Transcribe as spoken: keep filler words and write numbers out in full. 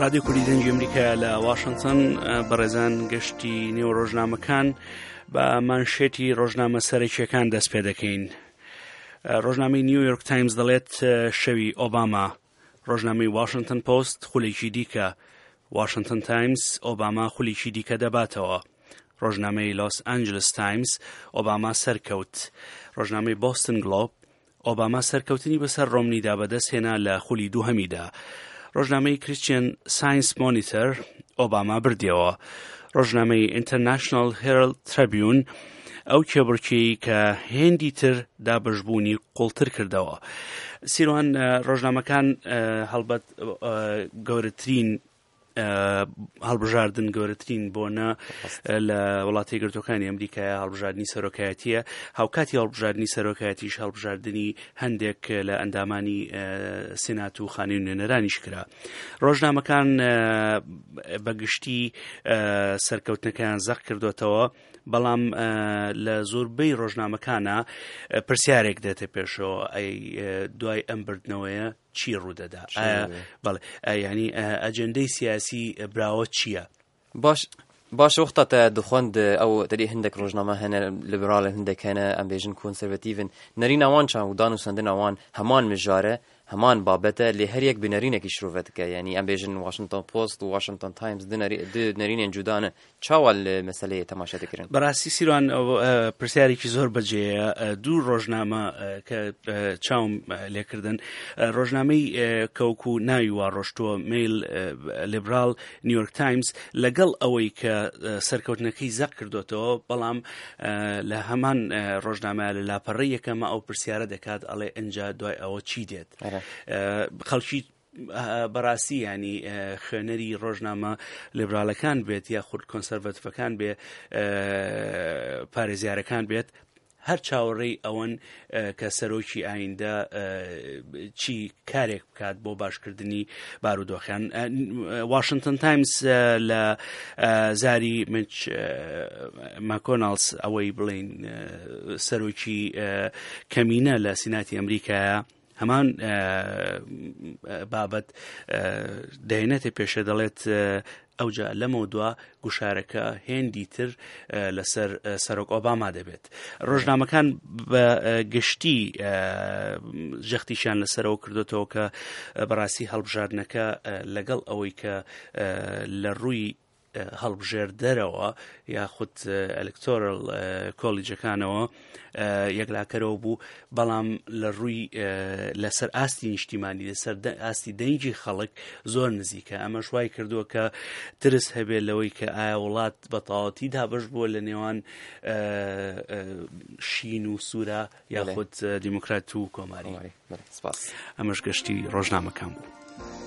رادیۆ کوردی دەنگی ئەمریکا لە واشنگتن. بەڕێزان، گەشتی نێو ڕۆژنامەکان بە مانشێتی ڕۆژنامە سەرەکیەکان دەست پێ دەکەین. ڕۆژنامەی نیویۆرک تایمز دەڵێت شەوی ئۆباما. ڕۆژنامەی واشنگتن پۆست خولێکی دیکە. واشنگتن تایمز ئۆباما خولێکی دیکە دەباتەوە. ڕۆژنامەی لۆس ئەنجلس تایمز ئۆباما سەرکەوت. ڕۆژنامەی بۆستن گلۆب ئۆباما سەرکەوتنی بەسەر ڕۆمنیدا بەدەستهێنا لە خولی دووهەمیدا. ڕۆژنامەی کریسچیان ساینس مۆنیتەر ئۆباما بردیەوە. ڕۆژنامەی ئینتەرناشناڵ هێرڵد تربیون ئەو کێبڕکێی کە هێندی تر دابەشبوونی قوڵتر کردەوە. سیروان، ڕۆژنامەکان هەڵبەت گەورەترین هەڵبژاردن، گەورەترین بۆنە لە وڵاتی یەکگرتووەکانی ئەمریکایە، هەڵبژاردنی سەرۆکایەتیە. هاوکاتی هەڵبژاردنی سەرۆکایەتیش هەڵبژاردنی هەندێک لە ئەندامانی سینات و خانەی نوێنەرانیش کرا. ڕۆژنامەکان بەگشتی سەرکەوتنەکەیان زەق کردوتەوە، بەڵام لە زۆربەی ڕۆژنامەکانە پرسیارێک دێتە پێشەوە، ئەی دوای ئەم بردنەوەیە چی ڕوودەدا؟ بەڵێ، ینی ئەجەندەی سیاسی براوە چییە؟ باش باش، وەختا te dixwend ew tedî hindek rojname hene liberal، hindek hene em bêjin konservatîvin، nerîna wan çan û dan û sendina wan heman mijare، heman babete، lê her yek bi nerînekî şirove dike. Yani em bêjin Washington Post û Washington Times du nerînên cuda ne. Çawa li meseleyê temaşe dikirin؟ بەڕاستی سیروان، پرسیارێکی زۆر بەجێیە. دوو ڕۆژنامە کە چاوم لێکردن، ڕۆژنامەی کەوکو ناوی وا ڕۆشتووە میل لیبرال نیویۆرک تایمز، لەگەڵ ئەوەی کە سەرکەوتنەکەی زەق کردوتەوە، بەڵام لە هەمان ڕۆژنامە لە لاپەڕەی یەکەمە ئەو پرسیارە دەکات، ئەڵێ ئینجا دوای ئەوە چی دێت؟ خەڵکی بەڕاستی ینی خوێنەری ڕۆژنامە لیبرالەکان بێت یاخود کۆنسەرڤەتیڤەکان بێ، پارێزیارەکان بێت، هەر چاوەڕێی ئەوەن کە سەرۆکی ئایندە چی کارێک بکات بۆ باشکردنی بارودۆخیان. واشنگتن تایمز لە زاری میچ ماکۆناڵس، ئەوەی بڵین سەرۆکی کەمینە لە سیناتی ئەمریکایە، هەمان بابەت دەینێتە پێشە، دەڵێت ئەوجا لەمە دوا گوشارەکە هێندی تر لەسەر سەرۆک ئۆباما دەبێت. ڕۆژنامەکان بە گشتی جەختیشیان لەسەرەوە کردوتەوە کە بەڕاستی هەڵبژاردنەکە لەگەڵ ئەوەی کە لە ڕووی هەڵبژێردەرەوە یاخود electoral college ەکانەوە یەکلاکەرەوە بوو، بەڵام لە ڕووی لەسەر ئاستی نیشتیمانی، لەسەر ئاستی دەنگی خەڵک زۆر نزیکە. ئەمەش وای کردووە کە ترس هەبێت لەوەی کە ئایا وڵات بە تەواوەتی دابەش بووە لە نێوان شین و سوورە یاخود دیموکرات و کۆماری. ئەمەش گەشتی ڕۆژنامەکان بوو.